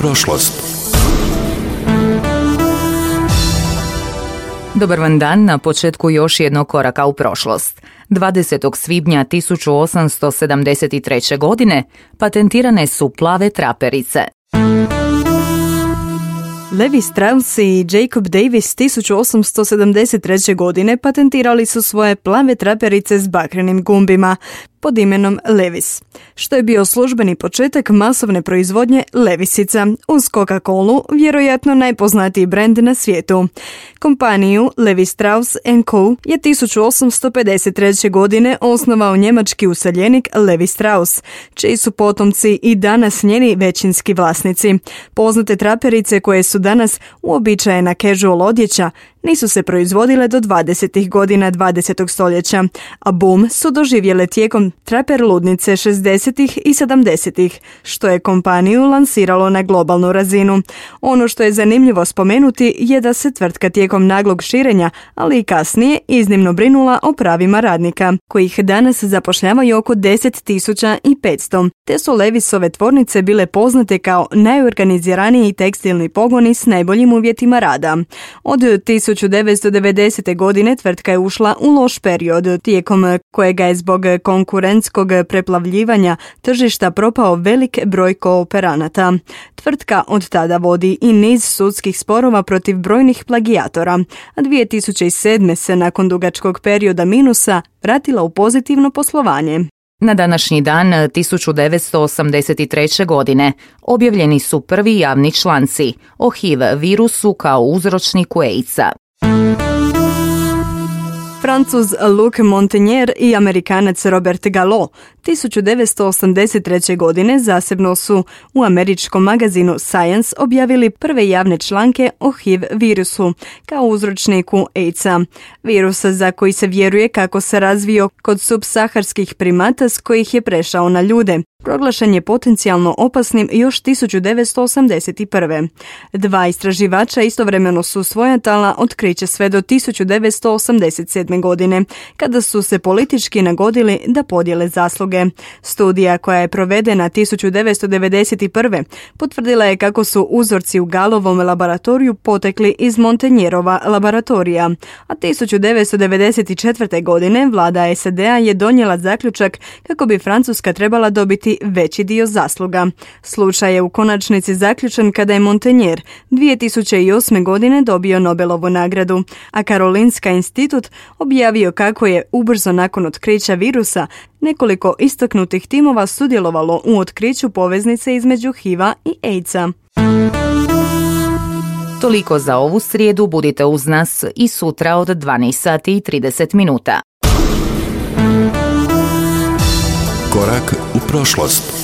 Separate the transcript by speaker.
Speaker 1: prošlost.
Speaker 2: Dobar vam dan, na početku još jednog koraka u prošlost. 20. svibnja 1873. godine patentirane su plave traperice.
Speaker 3: Levi Strauss i Jacob Davis 1873. godine patentirali su svoje plave traperice s bakrenim gumbima pod imenom Levis, što je bio službeni početak masovne proizvodnje Levisica, uz Coca-Colu, vjerojatno najpoznatiji brend na svijetu. Kompaniju Levi Strauss & Co. je 1853. godine osnovao njemački useljenik Levi Strauss, čiji su potomci i danas njeni većinski vlasnici. Poznate traperice koje su danas uobičajena casual odjeća nisu se proizvodile do 20. godina 20. stoljeća, a boom su doživjele tijekom traper ludnice 60. i 70. što je kompaniju lansiralo na globalnu razinu. Ono što je zanimljivo spomenuti je da se tvrtka tijekom naglog širenja, ali i kasnije, iznimno brinula o pravima radnika, kojih danas zapošljavaju oko 10.500, te su Levisove tvornice bile poznate kao najorganiziraniji tekstilni pogoni s najboljim uvjetima rada. Od 1990. godine tvrtka je ušla u loš period, tijekom kojega je zbog konkurentskog preplavljivanja tržišta propao velik broj kooperanata. Tvrtka od tada vodi i niz sudskih sporova protiv brojnih plagijatora, a 2007. se nakon dugačkog perioda minusa vratila u pozitivno poslovanje.
Speaker 2: Na današnji dan 1983. godine objavljeni su prvi javni članci o HIV virusu kao uzročniku AIDS-a.
Speaker 3: Francuz Luc Montagnier i Amerikanac Robert Gallo 1983. godine zasebno su u američkom magazinu Science objavili prve javne članke o HIV virusu kao uzročniku AIDS-a. Virus za koji se vjeruje kako se razvio kod subsaharskih primata s kojih je prešao na ljude. Proglašen je potencijalno opasnim još 1981. Dva istraživača istovremeno su svojatala otkriće sve do 1987. godine, kada su se politički nagodili da podijele zasluge. Studija koja je provedena 1991. potvrdila je kako su uzorci u Gallovom laboratoriju potekli iz Montagnierova laboratorija, a 1994. godine vlada SAD-a je donijela zaključak kako bi Francuska trebala dobiti veći dio zasluga. Slučaj je u konačnici zaključen kada je Montagnier 2008. godine dobio Nobelovu nagradu, a Karolinska institut objavio kako je ubrzo nakon otkrića virusa nekoliko istaknutih timova sudjelovalo u otkriću poveznice između HIV-a i AIDS-a.
Speaker 2: Toliko za ovu srijedu, budite uz nas i sutra od 12 sati i 30 minuta.
Speaker 1: Korak u prošlost.